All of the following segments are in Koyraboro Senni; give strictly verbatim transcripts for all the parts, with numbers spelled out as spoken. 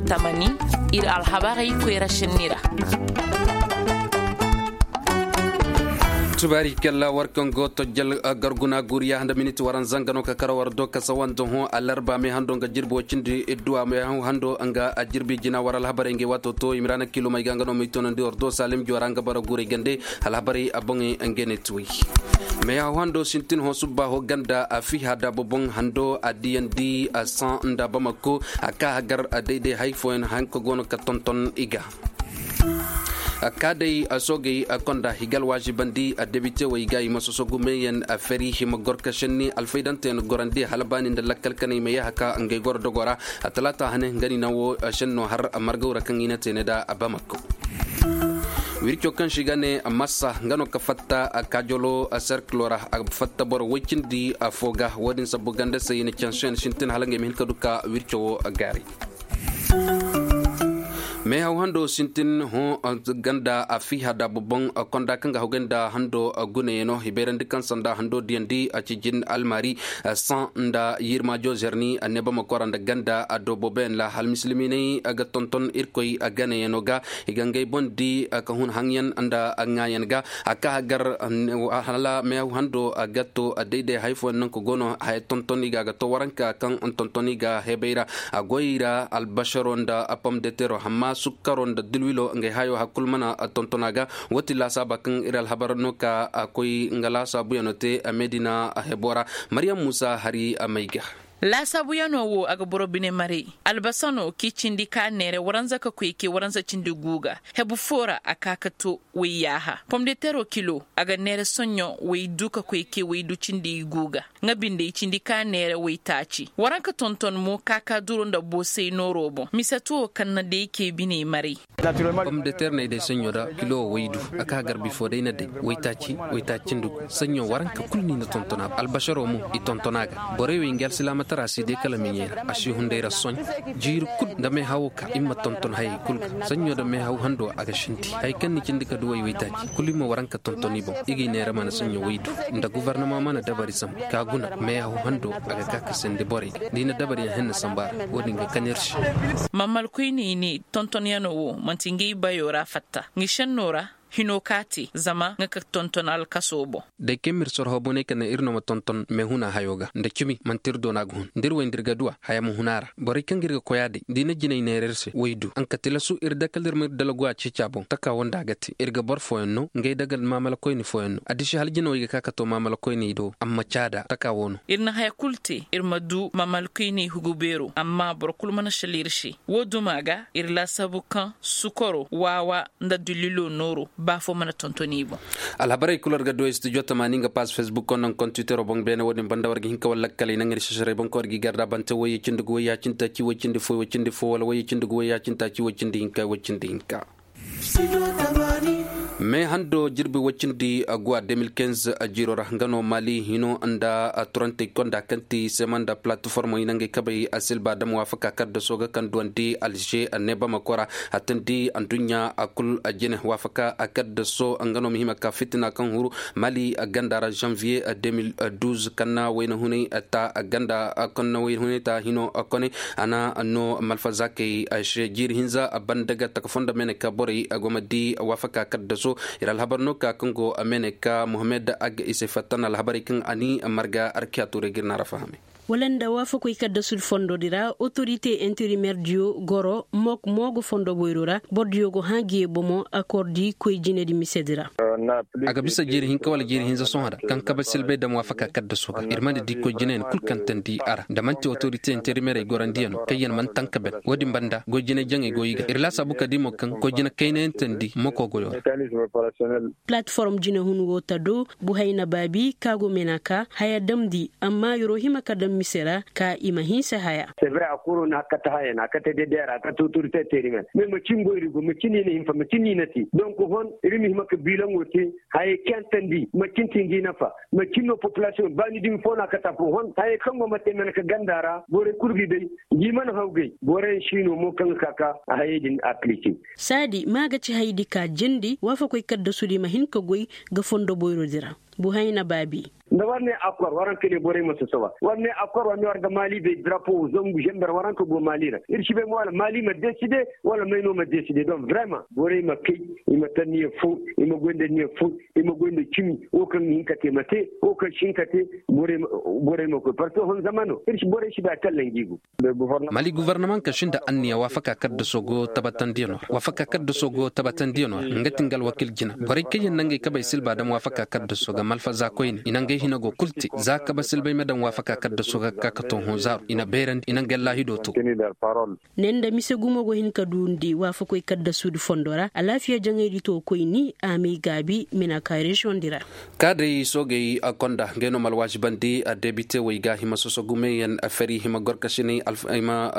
Tamani, ir alhabarey koyra šenni ra. Tubaari kalla war kaŋ go tojjal garguna guriya nda miniti waranza nga no ka kara war do kasa wanda hõ alarba me hando nga jirbi wo cindi idduwa me hando nga jirbi jina war alhabarey ngey waato to imrana kilomey ga nga no mey tonandi war do salim jora nga bara guray gande. Alhabarey a boŋey ngey ne tuwey. Me haw hando sintin hõ subba ho ganda a fiha da boboŋ hando a diyandi a saŋ nda bamako a ka hagar a dayday hay fooyaŋ hanka go no ka tonton i ga. Kaadey soogey konda higal waazibandi debitewey ga i ma sosogu meeyaŋ feri hima gorka šenni alfaydanteyaŋ gorandi hala baani nda lakkal kanay ma yaaha ka ngey goro dogo ra. Talaata hane nga ni naŋ wo šenno har margaw ra kaŋ i na te ne nda bamako. Wirco kaŋ se i ga ne massa nga no ka fatta kaajolo serkilo ra a fatta boro woy cindi fo ga wo-din sabbu ganda se i na canseyaŋ sintin hala ngey ma hin ka du ka wirco wo gaaray. Meehaw hando sintin hõ ganda a fiha da boboŋ konda kaŋ ga hawgay nda hando gunayaŋo i bayrandi kaŋ sanda hando diyandi a ci jin almaari saŋ nda yirmaajo zerni a ne bama kora nda ganda a do booboyaŋ ra hala misilimiiney ga tonton irkoy ganayaŋo ga. I ga ngey boŋ di ka hun haŋyaŋ nda ŋaayaŋ ga a ka gar hala meehaw hando a ga to dayday hay fooyaŋ nangu go no haya tonton i ga a ga to waranka kaŋ tonton i ga hebey ra. A goy ra albasaro nda pom de tero amma sukkaro nda dilwilo ngey hayo hakul mana tonton a ga. Wo ti laasaaba kaŋ ir alhabar no ka a koy nga laasaabuyaŋo te a medina hebo ra. Maryam muusa hari a may ga. Laasaabuyaŋo wo a ga boro bine maray. Albasano k'i cindi ka neere waranza ka koy ke waranza cindi guuga hebu foo ra a ka ka to wayyaaha pomdetero kilo a ga neere soɲɲo waydu ka koy ke waydu cindi guuga. Nga binde i cindi ka neere waytaaci waranka tonton mo ka ka duro nda boosay nooro boŋ mise to kaŋ na day ke biney maray. Pomdeter n'ay day saɲɲo da kilo waydu a ka garbi fo day na day waytaaci waytaaci ndugu saɲɲo waranka kulu ni na tonton a albasaro mo i tonton a ga. Borey wey nga alsilaama tara si day kala miɲey ra a si hunday ra soɲ jiiri kulu nda meehawo ka i ma tonton hayey kulu ga. Saɲɲo nda meehaw hando a ga sinti hay kaŋ ni cindi ka duwey waytaaci kulu i ma waranka tonton i boŋ i ga i neera mana saɲɲo waydu nda gobornama mana dabari zama ka guna meehaw hando a ga ka ka sandi borey ga da i na dabari yaŋ henna samba ra wo-din ga kan ir se. Mamalkoyney ne tontonyaŋo wo man'ti ngey bayo ra fatta nga senno ra hino ka te zama nga ka tonton alkaso boŋ. Day kaŋ mir sorho boney ka ne ir no ma tonton meehuna hayo ga nda cimi man'ti ir doona ga hun da ir way nda ir ga duw'a haya ma hun a ra borey kaŋ ga ir ga koy a day da i na jinay neera ir se waydu nga ka tilasu ir dakal ir ma ir dalgu a ceeci a boŋ taka wo nda a ga te ir ga boro fooyaŋ no ngey dagal maamalakoyni fooyaŋ no addisi hala jinawey ga ka ka to maamalakoyni do amma caada taka wo no. Ir na haya kulu te ir ma du maamalakoyni hugu beero amma boro kulu mana sala ir se. Wo duma ga ir laasaabu kaŋ sukaro waawa nda dulilo nooro ba fo mana tonton i boŋ. Alhabarey kulu war ga du studio tamaani nga paas facebook wo naŋ kontitero boŋ beene wo-din banda war ga hin ka war lakkaley naŋ ir sesarey boŋ kaŋ war g'i garda bante woyye cindi ga woyye a cindi taaci woy cindi fo woy cindi fo wala woyye cindi ga woyye a cindi taaci woy cindi hinka woy cindi hinka. Me hando jirbi woy cindi guwa deux mille quinze jiiro ra nga no mali hino nda turantey konda kaŋ ti sema nda palateformo i na ngey kabey a silba dam waafaka kaddaso ga kaŋ duwandi alze nebama kora a tandi adduɲɲa a kul jine waafaka a kaddaso nga no ma hima ka fitina kaŋ huru mali ganda ra janvier deux mille douze kaŋ na wayna hunay ta ganda kaŋ na wayna hunay ta hino konay a na no malfazakey se jiiri hinza banda ga taka fondo mene ka borey go ma di waafaka kaddaso. Ir alhabar no ka kaŋ go mene ka mohammed ag i se fattan alhabarey kaŋ a ni marga arkiya tuurey ga ir na ra fahamay. Wala nda waafakoy kaddasu fondo di ra otorite interimer diyo goro mook moogo fondo boyro ra boro diyo go hã giye bomo akor di koy jine di mise di ra. A ga bisa jiiri hinka wala jiiri hinza sohõ ra kaŋ kabe silbay dam waafaka kaddaso ga ir mana di koy jine yaŋ kul kaŋ tandi a ra da man'ti otorite interimerey gorandiyaŋo kaŋ yaŋ mana taŋ ka ben wo-din banda goy jine jaŋey go i ga ir laasaabu ka di mo kaŋ koy jine kaynayaŋ tandi moko goyo ra. Palateform jinehun wo ta do buhayna baabi ka go mena ka haya damndi amma yer wo hima ka daŋ mise ra ka i ma hinsa haya. Sevre a kuro na kate haya na kate dedeera a kate otorite teeri me me macin goyri go macin ni na hinfa macin ni na te donk hon iri ma hima ka biilaŋo te. Hayey kentandi macin ti ngi nafa macin no populasiyoŋ ba ni dumi fo na kate afo hon hayey kaŋ go ma te mena ka ganda ra borey kul gi day. Ngi mana hawgay borey si no mo kaŋ ga ka ka a hayey din aplike. Saadi ma ga ci hayey di ka jindi waafakoy kaddasudi ma hin ka goy ga fondo boyrodi ra. Buhayna baabi. Da war ne akor waranka ne borey ma sosoba war ne akor war ne war ga mali bay drapo zangu zember waranka go mali ra ir si bay mo wala mali ma deside wala may no ma deside don vrema borey ma kay i ma tanniya fo i ma goy nda niya fo i ma goy nda cimi wo kaŋ ga hin ka te ma te wo kaŋ si hin ka te borey ma koy parto hon zamano ir si borey si bay a tallan gi go. Mali guvarnamaŋ ka sinda anniya waafaka kaddaso go tabatandiyano ra waafaka kaddaso go tabatandiyano ra nga ti nga alwakil jina borey kaŋ yaŋ na ngey kabey silba dam waafaka kaddaso ga malfaza koyne i na ngey hina go kul te za kaba silbay ma dam waafaka kaddaso ga ka ka to hõ zaaru i na beerandi i na ngey laahido to. Ne nda mise gumo go hin ka duundi waafakoy kaddasudi fondo ra alaafiya jaŋaydi to koyni a m'ay gaabi mina ka reziyoŋdi ra. Kaadey soogey konda ngey no ma alwaazibandi debite wey ga hima soso gumeyaŋ fari hima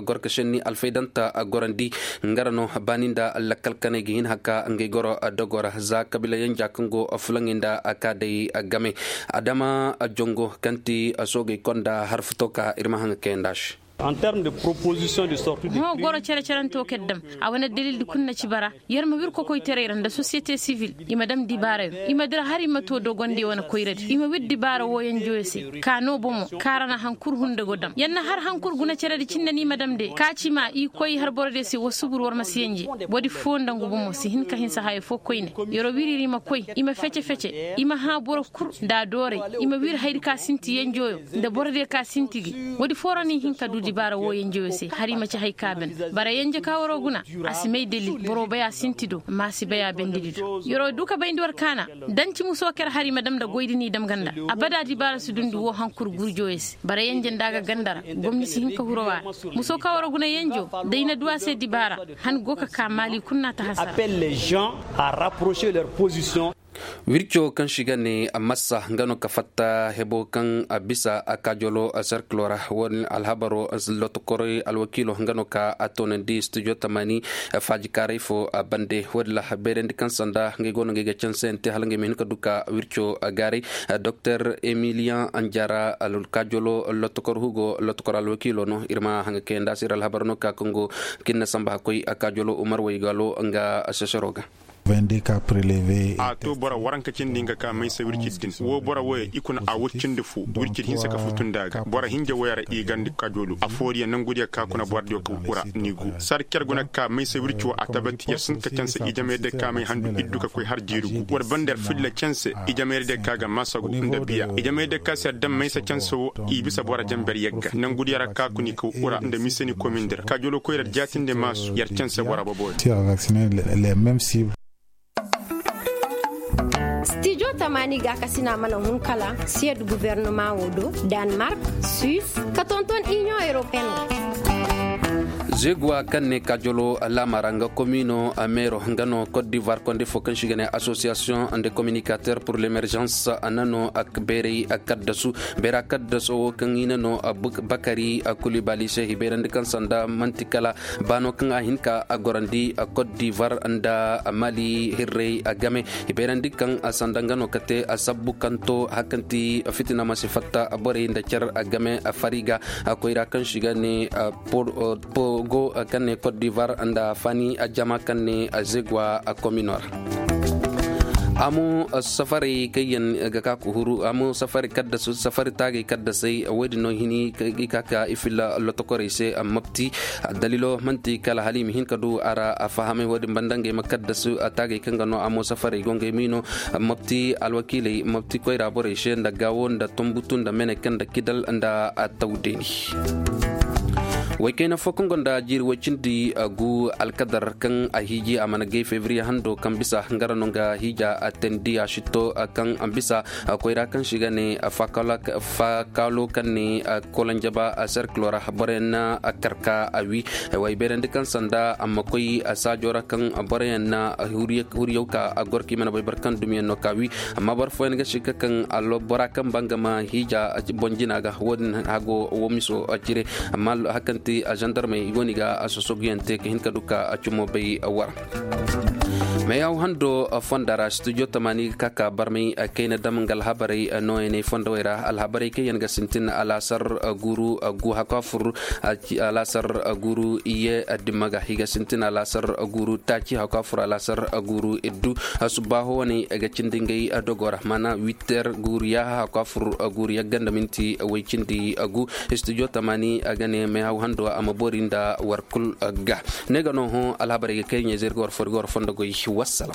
gorkasinni alfaydanta gorandi. Nga ra no baani nda lakkal kaney ga hin haka ngey goro dogo ra za kabiila yanja kaŋ go fulaŋey nda kaadey game. Adama jongo kaŋ ti soogey konda harfuto ka ir ma haŋa kayanda se. Hõ goro cere-ceranto kaŋ dam a wane dalildi kul na ci bara. Yer ma wir kokoytaray ra nda sosiyete sivil i ma dam dibaarayo i ma dira har i ma to dogondiyo wane koyradi i ma wir dibaara wooyanjoyo se. Ka no bomo kaŋ ra na hankul hunde go dam yer na har hankul guna ceredi cindi no i ma dam de ka ci ma i koy har borodiyo se wa subur war ma si yanje. Woodi foo nda ngu bomo si hin ka hinsa hayo foo koyne. Yer'o wir ir i ma koy i ma fece-fece i ma hã boro kul nda a dooray i ma wir hayadi ka sinti yenjoyo nda borodiyo ka sinti gi. Woodi foo ra no i hin ka du dibaara wooyanjoyo se har i ma ci hay ka ben. Bara yanje ka war'o guna a si may dalil bor'o bay a sinti do amma a si bay a bendedi do yer'o du ka bayndi war kaana. Danci muso ker hari ma dam nda goydi n'i dam ganda abada dibaara si dundi woo hankur gurjoyo se bara yanje nda a ga ganda ra. Gomni si hin ka huru a ra. Muso ka war'o guna yenjo da i na du a se dibaara. Han go ka ka maali kul n'a ta hasara. Wirco kaŋ si ga ne massa nga no ka fatta hebo kaŋ a bisa a kaajolo serkilo ra. Wo-din alhabaro lotokorey alwakiilo nga no ka a toonandi studio tamaani. Faajikaaray fo bande wo-din la bayrandi kaŋ sanda ngey go no ngey ga canseyaŋ te hala ngey ma hin ka du ka wirco gaaray. Doktor emiliyaŋ anjara alkaajolo lotokor hugo lotokor alwakiilo no ir ma haŋa kayanda se ir alhabaro no ka kaŋ go kinna samba hakkoy a kaajolo umar waygalo nga sesero ga. A to boro waranka cindi nga ka maysa wirci din wo boro wooyo i kuna a wut cindi fo. Wirci di hinsa ka futu nda a ga boro hinja wooyo ra i gandi kajoolu a fooriya nangudiyo ka kuna borodiyo ka wura ni gu sar cer guna ka maysa wirci wo a tabati yer sinti ka canse ijamey day ka may handu iddu ka koy har jiiri gu war banda yer filla canse ijamey day ka ga masagu nda biya ijamey day ka se yer daŋ maysa canse wo i bisa boro jamber yagga nangudiyo ra ka kuna i ka wura nda mise ni komin di ra kajoolu koy ra jaatinde maasu yer canse boro boboyo. Stijo tamaani gaakasina mana hun kala siyad guvernoma wo do, danmark, suis, ka tonton inion europeen. Zeguwa kaŋ ne kaajolo laamara nga komino meero nga no kot divoir konde fo kaŋ si ga ne asosiyasiyoŋ nde kominikater pur lemerjans. Nano beeray kaddasu beera kaddaso wo kaŋ i nano bakari kulibali se hibeerandi kaŋ sanda manti kala baano kaŋ a hin ka a gorandi kot divoir nda mali hirrey game. Hibeerandi kaŋ sanda nga no ka te sabbu kaŋ to hari kaŋ ti fitina ma si fatta borey nda cer game fari ga. Koyra kaŋ si ga ne pogo kaŋ ne kot divoir nda fani jama kaŋ ne zegwa komino ra. Amo safarey kaŋ yaŋ ga ka ka huru amo safari kaddasu safari taagay kaddasey wo- din no hini i ka ka i filla lotokorey se mopti. Daliilo man'ti kala hala i ma hin ka du a ra a fahamay wo- din banda ngey ma kaddasu taagay kaŋ ga no amo safarey go ngey ma i no mopti alwakiiley mopti koyra borey se nda gaawo nda tombutu nda meneke nda kidal nda tawdeeni. Waykayna fo kaŋ gonda jiiri woy cindi gu alkadar kaŋ a hiiji a mana gay febriye hando kaŋ bisa nga ra no nga hiija a teendi a sitto kaŋ bisa koyra kaŋ si ga ne faakaalo kaŋ ne kolanjaba serkilo ra boroyaŋ na kar ka a wi. Way beerandi kaŋ sanda a ma koy saajo ra kaŋ boroyaŋ na huriyaw ka a goro kaŋ i mana bay boro kaŋ dumiyaŋ no ka wi. Amma boro fooyaŋ ga si ga kaŋ bora kaŋ ba nga ma hiija boŋ jina ga wo- din hago wo miso cire. Amma hari kaŋ ti zandarmey i go no i ga sosoguyaŋ te ka hin ka du ka cumo bay war. Meyaw hando fonda ra studio tamani ga ka ka barmay kayna dam nga alhabarey nooyaney fondowey ra alhabarey kaŋ yaŋ ga sintin alaasar guru gu hakafur alaasar guru iye dimma ga i ga sintin alaasar guru taaci hakafur alaasar guru iddu. Subbaaho wane ga cindi ngey dogo ra mana witer guru yaaha hakafur guru yagga nda minti way cindi gu. Studio tamani a ga ne meyaw hando a ma boori nda war kul ga ne ga no hõ alhabarey ga kay ɲayzey ir ga war fo ir ga war fondo goy. Wassalam.